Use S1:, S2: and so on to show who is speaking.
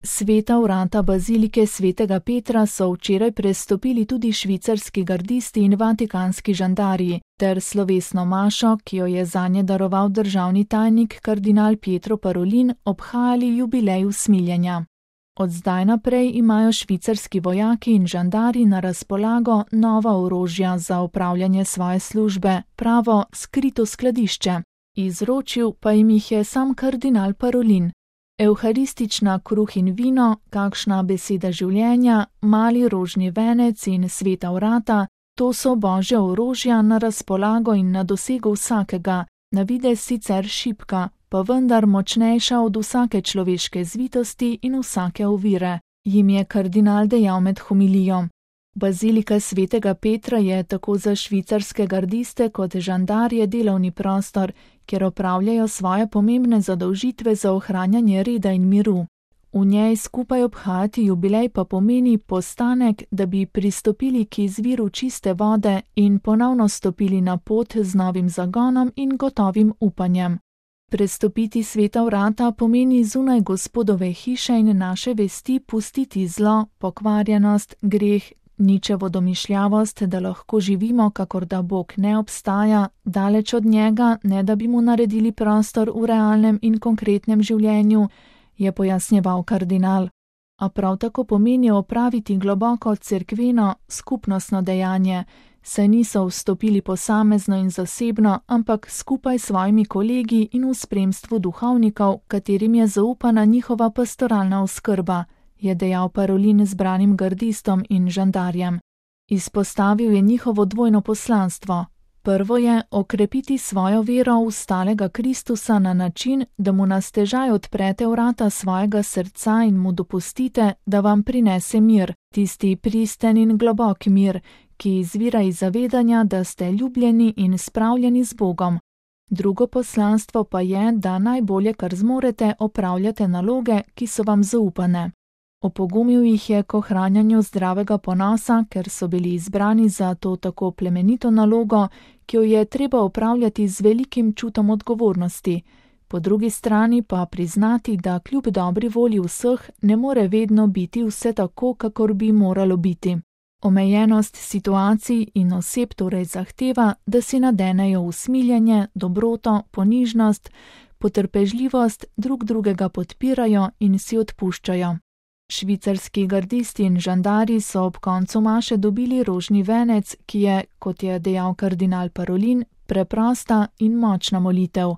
S1: Sveta vrata bazilike svetega Petra so včeraj prestopili tudi švicarski gardisti in vatikanski žandarji ter slovesno mašo, ki jo je zanje daroval državni tajnik kardinal Pietro Parolin, obhajali jubilej usmiljenja. Od zdaj naprej imajo švicarski vojaki in žandarji na razpolago nova orožja za opravljanje svoje službe, pravo skrito skladišče. Izročil pa jim jih je sam kardinal Parolin. Evharistična kruh in vino, kakšna beseda življenja, mali rožni venec in sveta vrata, to so božja orožja na razpolago in na dosegu vsakega, na videz sicer šibka, pa vendar močnejša od vsake človeške zvitosti in vsake ovire, jim je kardinal dejal med homilijo. Bazilika svetega Petra je tako za švicarske gardiste kot žandarje delovni prostor, kjer opravljajo svoje pomembne zadolžitve za ohranjanje reda in miru. V njej skupaj obhajati jubilej pa pomeni postanek, da bi pristopili k izviru čiste vode in ponovno stopili na pot z novim zagonom in gotovim upanjem. Prestopiti sveta vrata pomeni zunaj Gospodove hiše in naše vesti pustiti zlo, pokvarjenost, greh, ničevo domišljavost, da lahko živimo, kakor da Bog ne obstaja, daleč od njega, ne da bi mu naredili prostor v realnem in konkretnem življenju, je pojasnjeval kardinal. A prav tako pomeni opraviti globoko cerkveno, skupnostno dejanje, saj niso vstopili posamezno in zasebno, ampak skupaj s svojimi kolegi in v spremstvu duhovnikov, katerim je zaupana njihova pastoralna oskrba, je dejal Parolin zbranim gardistom in žandarjem. Izpostavil je njihovo dvojno poslanstvo. Prvo je okrepiti svojo vero v stalega Kristusa na način, da mu na stežaj odprete vrata svojega srca in mu dopustite, da vam prinese mir, tisti pristen in globok mir, ki izvira iz zavedanja, da ste ljubljeni in spravljeni z Bogom. Drugo poslanstvo pa je, da najbolje, kar zmorete, opravljate naloge, ki so vam zaupane. Opogumil jih je k ohranjanju zdravega ponosa, ker so bili izbrani za to tako plemenito nalogo, ki jo je treba opravljati z velikim čutom odgovornosti. Po drugi strani pa priznati, da kljub dobri volji vseh ne more vedno biti vse tako, kakor bi moralo biti. Omejenost situacij in oseb torej zahteva, da si nadenejo usmiljenje, dobroto, ponižnost, potrpežljivost, drug drugega podpirajo in si odpuščajo. Švicarski gardisti in žandarji so ob koncu maše dobili rožni venec, ki je, kot je dejal kardinal Parolin, preprosta in močna molitev.